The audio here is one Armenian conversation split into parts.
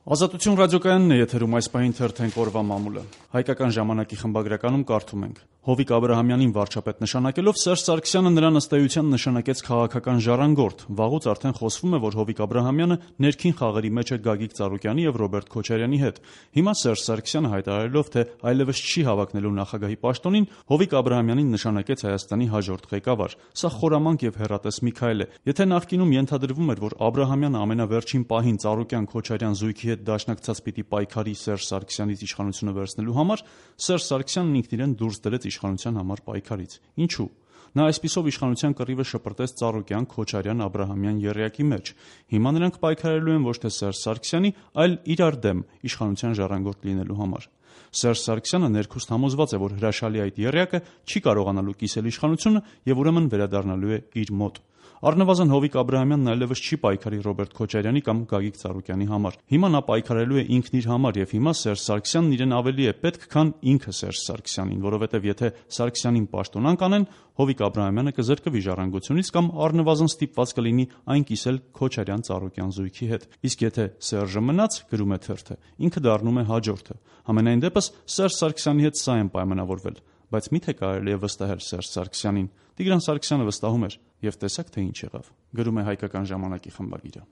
Ազատություն ռադիոկայանն է եթերում այս պահին թերթենք օրվա մամուլը։ Հայկական ժամանակի խմբագրականում կարդում ենք. Հովիկ Աբրահամյանին վարչապետ նշանակելով Սերժ Սարգսյանը նրան ըստ էության նշանակեց քաղաքական ժառանգորդ։ Վաղուց արդեն խոսվում է, որ Հովիկ Աբրահամյանը ներքին խաղերի մեջ է Գագիկ Ծառուկյանի եւ Ռոբերտ Քոչարյանի հետ։ Հիմա Սերժ Սարգսյանը հայտարարելով, թե այլևս չի հավակնելու նախագահի պաշտոնին, Հովիկ Աբրահամյանին նշանակեց Հայաստանի հաջորդ ղեկավար։ Սա խորամանկ եւ հեռատես մի քայլ է։ Եթե նախկինում ենթադրվում էր, որ Աբրահամյանը ամենավերջին պահին Ծառուկյան-Քոչարյան զույգի հետ դաշնակցած պիտի պայքարի Սերժ Սարգսյանից իշխանությունը վերցնելու համար, Սերժ Սարգսյանն ինքն իրեն դուրս դրեց իշխանության համար պայքարից։ Ինչու՞։ Նա այսպիսով իշխանության կռիվը շպրտեց Ծառուկյան, Քոչարյան, Աբրահամյան եռյակի մեջ։ Հիմա նրանք պայքարելու են ոչ թե Սերժ Սարգսյանի, այլ իրար դեմ իշխանության ժառանգորդ լինելու համար։ Սերժ Սարգսյանը ներքուստ համոզված է, որ հրաշալի այդ եռյակը չի կարողանալու կիսել իշխանությունը եւ ուրեմն վերադառնալու է իր մոտ։ Առնվազն Հովիկ Աբրահամյանն այլևս չի պայքարի Ռոբերտ Քոչարյանի կամ Գագիկ Ծառուկյանի համար։ Հիմա նա պայքարելու է ինքն իր համար եւ հիմա Սերժ Սարգսյանն իրեն ավելի է պետք, քան ինքը Սերժ Սարգսյանին, որովհետեւ եթե Սարգսյանին պաշտոնանկ անեն, Հովիկ Աբրահամյանը կզրկվի ժառանգությունից կամ առնվազն ստիպված կլինի այն կիսել Քոչարյան-Ծառուկյան զույգի հետ։ Իսկ եթե Սերժը մնաց, գրում է թերթը, ինքը դառնում է հաջորդը։ Համենայն դեպս Սերժ Սարգսյանի հետ սա են պայմանավորվել։ Բայց միթե կարելի է վստահել Սերժ Սարգսյանին։ Տիգրան Սարգսյանը վստահում էր եւ տեսակ թե ինչ եղավ։ Գրում է Հայկական ժամանակի խմբագիրը։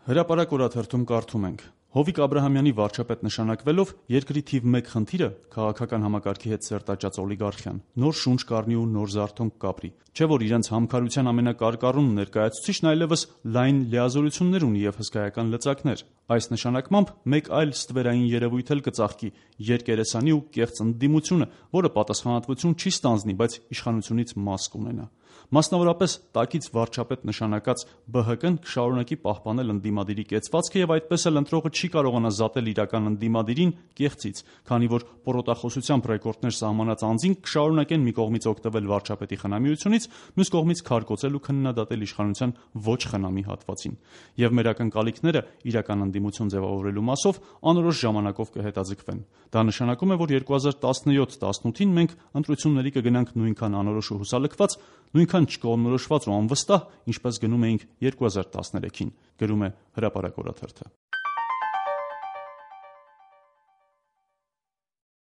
Հրապարակ օրաթերթում կարդում ենք. Հովիկ Աբրահամյանի վարչապետ նշանակվելով երկրի թիվ 1 խնդիրը քաղաքական համակարգի հետ սերտաճած օլիգարխիան նոր շունչ կառնի ու նոր զարթոնք կապրի։ Չէ որ իրենց համքարության ամենակարկառուն ներկայացուցիչն այլևս լայն լիազորություններ ունի եւ հսկայական լծակներ։ Այս նշանակմամբ մեկ այլ ստվերային երևույթ էլ կծաղկի՝ երկերեսանի ու կեղծ ընդդիմությունը, որը պատասխանատվություն չի ստանձնի, բայց իշխանությունից մաս կունենա։ Մասնավորապես տակից վարչապետ նշանակած ԲՀԿ-ն կշարունակի պահպանել ընդդիմադիրի կեցվածքը եւ այդպես էլ ընտրողը չի կարողանա զատել իրական ընդդիմադիրին կեղծից, քանի որ պորոտախոսությամբ ռեկորդներ սահմանած անձին կշարունակեն մի կողմից օգտվել վարչապետի խնամիությունից, մյուս կողմից քարկոծել ու քննադատել իշխանության ոչ խնամի հատվածին։ Եվ մեր ակնկալիքները իրական ընդդիմություն ձևավորելու մասով անորոշ ժամանակով կհետաձգվեն։ Դա նշանակում է, որ 2017-18-ին մենք ընտրությունների կգնանք նույնքան անորոշ ու հուսալքված, նույնքան չկողմնորոշված ու անվստահ, ինչպես գնում էինք 2013-ին, գրում է Հրապարակ օրաթերթը։